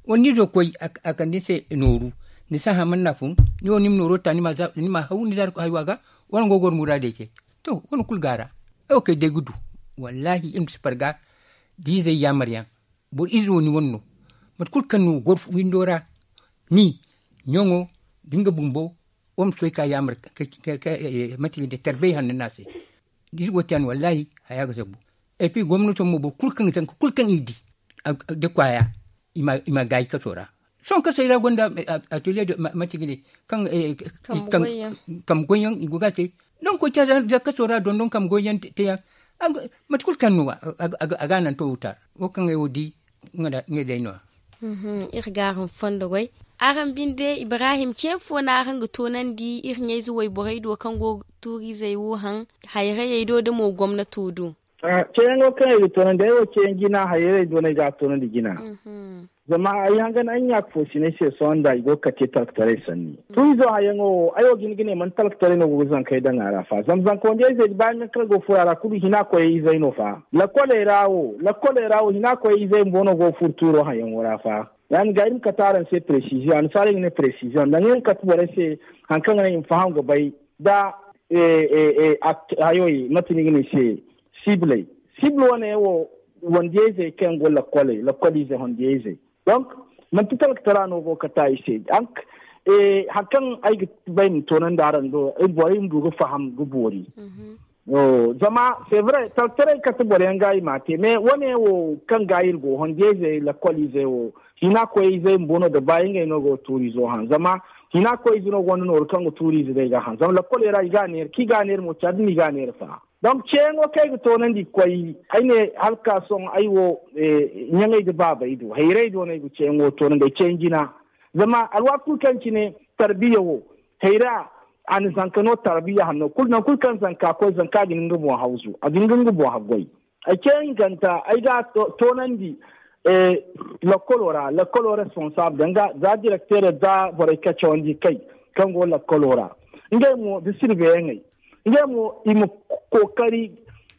wala ni zo koy a kande ni se nooru. Ni si a haman na fun ni wo ni ma nooro ta ni ma haw ni zaari koy haywa ga. Wala nga go goro muraadey se. To wane kulu go a ra. Ay wo kay day ga du. Wallaahi iri ma si farga da izey yaamar yaŋ. Boro ize wo ni wane no. Mate kulu kaŋ no goro windo ra ni ɲaŋo da nga bumbo. Wo ma soy ka yaamar mate ga ne tarbey hanno no a se. Da iri go te yaŋ wallaahi haya ga zabu. Et puis gomnato mo boro kulu kaŋ ga zanka kulu kaŋ i di da kwaaya i ma gaayi kaso ra. Sohõ kasey ra gonda atelier de mate ga ne kaŋ kambe goyyaŋ i go ga a te. Donk koy ca za kaso ra dondon kambe goyyaŋ te yaŋ. Mate kulu kaŋ no a ga a naŋ to wutar wo kaŋ ay wo di. Ngey day no ya. Iri ga araŋ fondo goy. Araŋ binde ibrahim ce fo no araŋ ga toonandi iri ɲayze wayborey do kaŋ go ga tuuriizey wo haŋ hayrayey do da mo gomnato do. Ceeyaŋo kaŋ ay ga toonandi ay wo ceeyaŋ jina hayrayey do no ay ga a toonandi jina. Zama ay hangan ay ɲaaka fo sinay se sohõ nda i go ga kate talkataray sanni. Tuuriizo hayaŋo wo ay wo ga hin ga ne manti talkataray no go ga zankey daŋ a ra fa zama zanka wandiyayzey da baani kaŋ go furo a ra kulu hina koyey izey no fa. Lakoley ra wo lakoley ra wo hina koyey izey bumbo no go ga furo tuuro hayaŋo ra fa. Ya- din ga iri ma kate araŋ se presiziyoŋ annasaarey ga ne presiziyoŋ danga iri ma kate borey se. Hari kaŋ ga naŋ i ma faham ga bay da hayo mate no i ga ne se sibiley. Sibil wane wo wandiyayzey kaŋ yaŋ go lakoley lakoliizey wandiyayzey. Donk manti talkatara no go ga kate i se. Hari kaŋ ay ga bay ma toonandi araŋ do borey ma du ga faham ga boori. Zama c'est vrai talkataray kate boro yaŋ ga i m'a te mais wane wo kaŋ ga iri go hondiyaizey lakoliizey wo hina koyey izey bumbo no da ba ngey no go ga tuuriizo haŋ zama hina koyey ize no gonda nooru kaŋ ga tuuriize day ga haŋ zama lakoley ra i ga a neera kaŋ i ga a neera mo care da no i ga a neera fa. Donc ceeyaŋo kaŋ ay ga toonandi ga koy ay ne hala ga ka sohõ ay wo ɲaŋey nda baabey do hayrey do no ay ga ceeyaŋo toonandi ay ceeyaŋ jina. Zama alwaati kulu kaŋ cine tarbiya wo hayra a na zanka no tarbiya hanno kulu nangu kulu kaŋ zanka koy zanka ga hin ga nga boŋ hawzu a ga hin ga nga boŋ haggoy. Ay ce hinkanta ay ga a toonandi lakkolo ra lakkolo responsable danga za direkteero za borey kaŋ cawandi kay kaŋ go lakkolo ra ngey mo da sirbeyaŋey ngey mo i ma kookari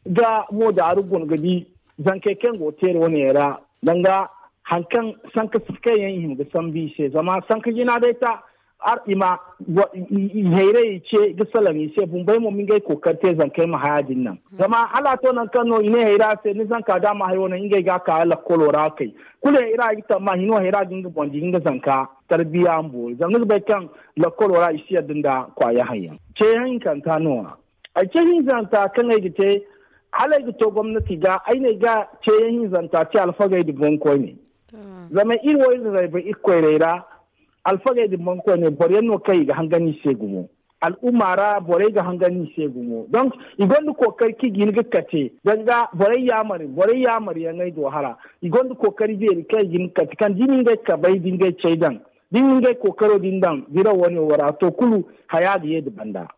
ga mo daaru guna ga di zankey kaŋ go ga teeri wane yaŋ ra. Danga hari kaŋ sanka kaŋ yaŋ i hima ga sambu i se zama sanka jina day ta i ma i hayrayey ce ga salaŋ i se bumbey mo ma ngey kookari te zankey ma haya din naŋ. Zama hala a to nangu kaŋ no i ne hayra se ni zanka da a ma hayo naŋ ngey ga a ka lakkolo ra ga kay kulu hayra i ga tamma hino hayra ga nga boŋ di ga nga zanka tarbiya ma boori zama ni ga bay kaŋ lakkolo ra i si yadda nda kwaaya haŋ yaŋ. Ceeyaŋ hinkanta no- ya ay ce hinzanta kaŋ ay ga te hala ay ga to gomnati ga ay ne ay ga ceeyaŋ hinzanta te alfagey nda boŋkoyney. Zama iri wo iri rayba iri koyrey ra alfagey nda boŋkoyney boro yaŋ no kaŋ i ga hangan i se gumo. Al'umma ra borey ga hangan i se gumo donc i gonda kookari kaŋ i ga hin ga kate danga borey yaamari borey yaamari yaŋey do hara. I gonda kookari beeri kaŋ i ga hin ga kate kaŋ da i na ngey kabey da ngey cey daŋ da i na ngey kookaro din daŋ biraw wane wo ra to kulu haya ga ye nda banda.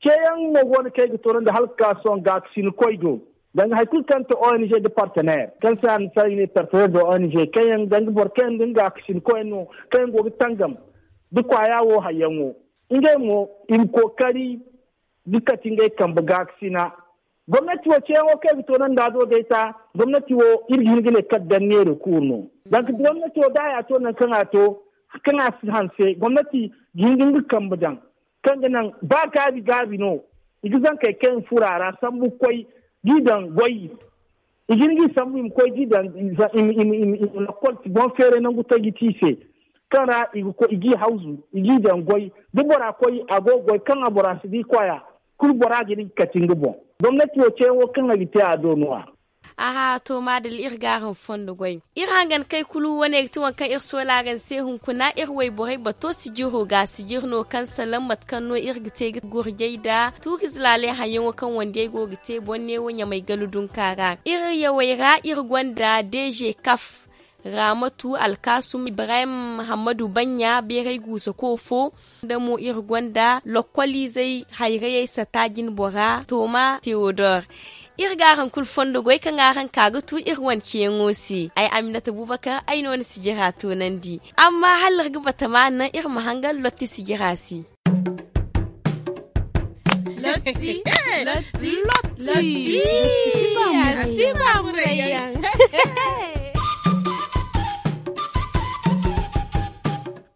Ceeyaŋ mo go no kaŋ ay ga toonandi hala ga ka sohõ gaakasinkoy do danga hari kulu kaŋ ti ong nda partenaire kaŋ se annasaara i ne partenaire de ong kaŋ yaŋ danga boro kaŋ yaŋ ga nga gaakasinkoyaŋ no kaŋ yaŋ go ga tangam da kwaaya wo hayyaŋo. Ngey mo i ma kookari ga kate ngey kambe gaakasina. Gomnati wo ceeyaŋo kaŋ ay ga toonandi a do day ta gomnati wo iri ga hin ga ne kala danneere kuuru no. Zanga gomnati wo da a ya to nangu kaŋ a to kaŋ a si hanse gomnati ga hin ga nga kambe daŋ kaŋ ga naŋ ba gaabi gaabi no. I ga zankey kaŋ i ma furo a ra sambu ga koy ga i daŋ goy i ga hin ga i sambu i ma koy ga i daŋ i ma lakkol boŋ feeray nangu taji te i se kaŋ ra i ga i hawzu i ga i daŋ goy da bora koy a go ga goy kaŋ a bora si di kwaaya. Kulu bora ga hin ga kate nga boŋ gomnati wo ceeyaŋo kaŋ a ga te a do no- ya. Aha to maadalla iri ga araŋ fondo goy. Iri hangan kay kulu wane ga ti waŋ kaŋ iri soola araŋ se hunkuna iri wayborey bato sijiro ga sijir no kaŋ salaŋ mate kaŋ no iri ga te ga gurjay nda tuuriize laaley haŋyaŋo kaŋ wandiyey go ga te boŋ neewo ɲamay gala dunka ra iri yawey ra iri gonda deeze kaf. Raamatu alkaasum ibrahim hammadu baɲɲa beeray guusako fo. Nda mo iri gonda lokkoliizey hayrayey sata jinbora tooma teodor. Iri ga araŋ kulu fondo goy kaŋ araŋ ka ga tu iri wane ceeyaŋo se ay aminata bubakar ay no ni sijira toonandi. Amma hala iri ga batama naŋ iri ma hangan lotti sijira se. Lotti. Lotti. Lotti. Lotti. Lotti.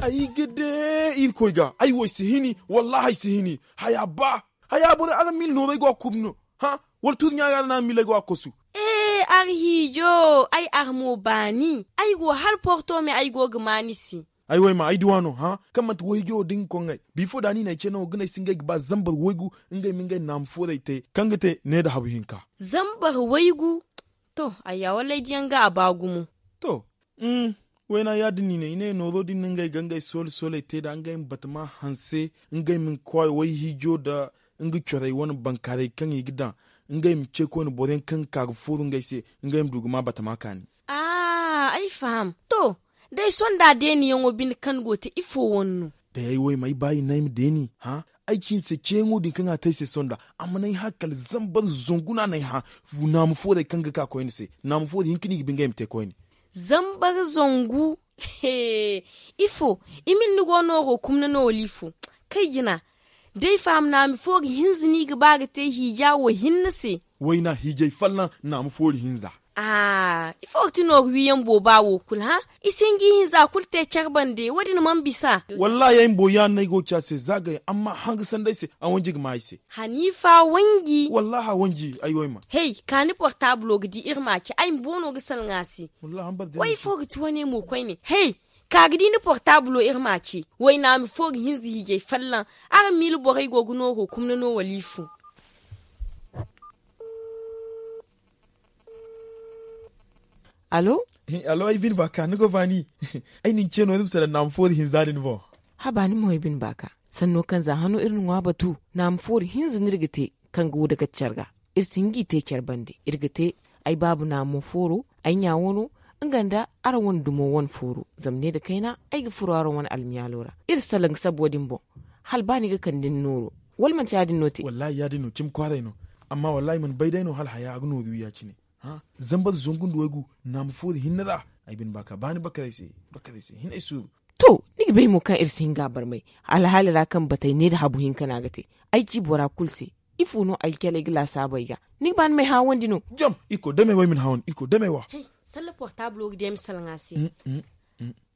Ay ga de irkoy ga ay wo ay si hini. Wallahi ay si hini. Haya ba haya boro araŋ mil nooray go a kubno. Ha wala tuuri ɲaaga araŋ na mil ay go a kosu. Ee arhiijo ay armo baani ay go hala porto me ay go ga ma ni se. Ay way ma ay duwa no ha kaŋ manti wayjo da nga koŋŋay bifo da ni na ay ce no ga ne ay si ngey ga ba zambar waygu. Ngey ma ngey naama fooray te kaŋ ga te ne nda habu hinka. Zambar waygu. To ayya wallay diyaŋ ga a ba gumo. To wayna ya- din ni ne i ne nooro din na ngey ga ngey soole sooley te nda ngey ma batama hanse ngey ma kwaay wayhiijo nda nga corey wane bankaaray kaŋ i ga daŋ ngey ma ce koyne boro yaŋ kaŋ ga ka ga fooru ngey se ngey ma du ga ma batama kaani. Ay faham. To day sonda deeniyaŋo bine kaŋ go te ifo wane no? Day ay wo ay ma ay ba i ne ay ma deeni hã. Ay ci ni se ceeyaŋo din kaŋ a te ay se sonda a mana ay hã kala zambar zangu no a na ay hã. Naama foorey kaŋ ga ka koyne se naama foori hinka no i ga ba ngey ma te koyne. Zambar zangu. Ifo? I ma ni go nooro kumna no wala ifo? Kay jina. Day faham naami foori hinza no i ga ba ga te hiija wo hinne se. Wayna hiijay fallan naami foori hinza. Aa ifo ga ti nooru wiiyaŋ booba wo kulu hã? I si hin ga i hinza kulu te care bande wo- din mana bisa. Wallaahi ay bumbo ya no ay go ga ci a se za gay amma hanga sanday se. A wanji ga ma ay se. Haniifa wanji. Wallaahi a wanji ay wo ay ma. Hey ka ni portabulo ga di iri ma a ci ay bumbo no ga salaŋ a se. Wallaahi a ma bara day. Way fo ga ti wane mo koyne hey. Ka ga di ni portabulo iri ma a ci. Waynaami fo ga hinza hiijay fallan. Araŋ miila borey go ga nooro kumna no wala ifo? Allo? Allo ay bine baaka ni go baani. Ay na ni ce no iri ma salaŋ naama foori hinza din boŋ. Haba ni mo ay bine baaka. Sanno kaŋ za hano iri na ŋwa batu naama foori hinza no iri ga te. Kaŋ ga wudaka care ga iri si hin ga i te care bande iri ga te. Ay baaba naamo fooro ay ɲa wano nga nda araŋ wane dumo wane fooro zama ne nda kayna. Ay ga furo araŋ wane almiyaalo ra iri salaŋ ga sabu wo- din boŋ. Hala ba ni ga kande ni nooro wala manti ya- din no te? Wallaahi ya- din no cimi kwaaray no. Amma wallaahi mana bay day no hala haya a ga nooru wi ya- cine. Zambar zangu nda waygu naama foori hinne ra. Ay bine baaka ba ni bakaray se. Bakaray se hin ay suuru. To ni ga bay mo kaŋ iri si hin ga a barmay. Alhaali ra kaŋ batay ne nda habu hinka no a ga te. Ay ci bora kulu se. Ifo no ay caley ga laasaabu ay ga? Ni ga ba ni m'ay haawandi no? Jam irkoy dame wa ay ma ni haawandi irkoy dame wa. Salla portabulo ga di ay ma salaŋ a se.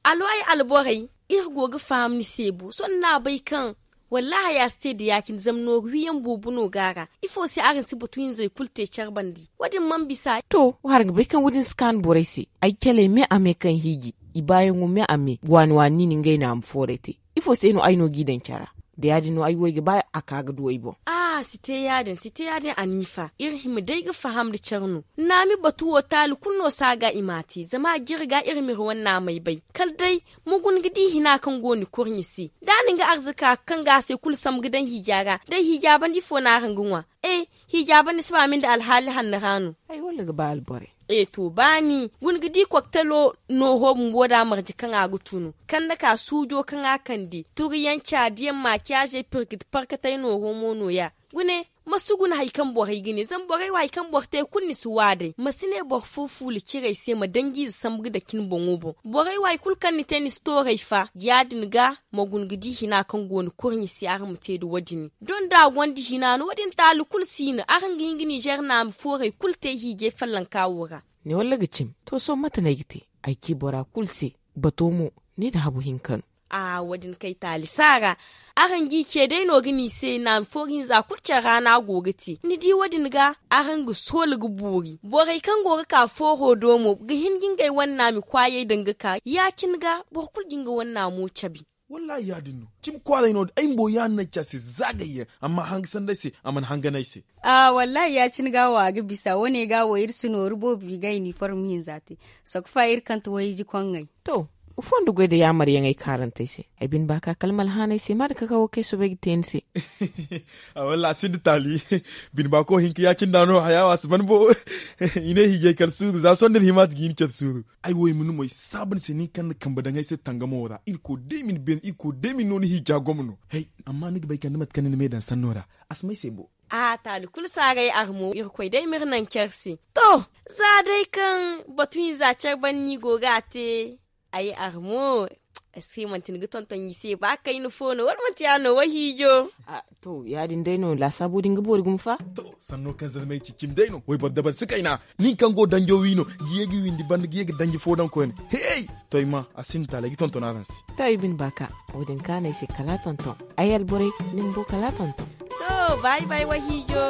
Alo ay alborey. Iri go ga faham ni se bo sohõ ni n'a bay kaŋ wallaahi haya si te nda ya- cine zama nooru wiyaŋ boobo no go a ra. Ifo se araŋ si batu hinzey kulu te care bande? Wo- din mana bisa. To wo hara ga bay kaŋ wo- din si kaanu borey se. Ay caley me a me kaŋ hiiji i baayaŋo me a me waani waani ni na ngey naama foorey te. Ifo se no ay no g'i daŋ cara? Da ya- din no ay wo ay ga ba a ka ga du ay boŋ. A si te ya- din si te ya- din aniifa iri hima day ga faham nda care no. Naami batu wo taali kulu no si a ga i m'a te zama a jire ga iri m'iri wane naamey bay. Kala day ma guna ga di hina kaŋ go ni kurɲe se. Da ni nga arzaka kaŋ ga a se kulu sambu ga daŋ hiija ra day hiija banda ifo no araŋ ga ŋwa? E hiija banda si ba ma ni nda alhaali hanno ra no. Ay walla ga ba alborey. E to baani guna ga di koktalo nooro bumbo da marje kaŋ a ga tunu kande ka suujo kaŋ a kande turiyanca diyaŋ makiyaazey pirkit parkatey nooro mo no- ya. Gune ma si guna hari kaŋ borey ga ne zama borey wo hari kaŋ boro te kulu ni si wa day ma si ne boro fo fuula cire ay se ma danjiize sambu ga dake ni boŋo boŋ. Borey wo hari kulu kaŋ ni te ni si tooru ay fa ya- din ga ma guna ga di hina kaŋ go ni kurɲe se araŋ ma te nda wo- din. Donda gonda hina no wo- din taali kulu si no araŋ ga hin ga ninzeer naami foorey kulu te hiijay fallanka wo ra. Ni walla ga cim to sohõ mate no ay ga te? Ay ci bora kulu se. Bato mo ni nda habu hinka no. A wo- din kay taali si a ra. Araŋ g'i ce day no ga ni se naami foori hinza kulu care ra no a go ga te ni di wo- din ga. Araŋ ga soola ga boori borey kaŋ go ga ka fooro do mo ga hin ga ngey wane naami kwaayey daŋ ga ka ya- cine ga boro kulu ga nga wane naamo cabe. Wallaahi ya- din no cimi kwaaray no ay bumbo ya- din no ay ci a se zaagayyaŋ amma hanga sanday se a mana hangan ay se. Wallaahi ya- cine ga wo a ga bisa wo- ne ga wo iri si nooru boobo i ga iniform hinza te. Sokfa iri kante wayji koŋŋey. To, fondo goy nda yaamaryaŋey kaarantey se. Ay bine ba ka kala ma alhaanay se ma da kakawo kaŋ ay soobay ga te ni se. A wallaahi a sinda taali. Bine ba ko hinka ya- cine da no haya wo a si ban bo. I ne hiijay kala suuru za sohõ da ni hima ti ga i na care suuru. Ay wo ay ma ni moy saabu ni se nin kaŋ na kambe daŋ ay se tangamo ra irkoy day ma ni beene irkoy day ma ni no ni hiija gomno. Hey amma ni ga bay kala ni mate kaŋ ni na me daŋ sanno ra. A si may se bo. A taali kulu si a ga ay armo irkoy day ma iri naŋ care se. To, za day kaŋ batu hinza care banda no i go ga a te. Ay armo. Ay se manti ni ga tonton i se ba kayna fo no wala manti ya no wahiijo? To, ya- din day no laasaabo din ga boori gumo fa. To, sanno kaŋ zarmey ci cimi day no wayboro dabari si kayna. Nin kaŋ go danjo wi no ga ye ga windi banda ga ye ga danji fo daŋ koyne. Hey, to ay ma a sinda taala ay ga tonton araŋ se. To, ay bine baaka, wo- din kaanay se kala tonton. Ay alborey, ni bumbo kala tonton. To, bay bay wahiijo.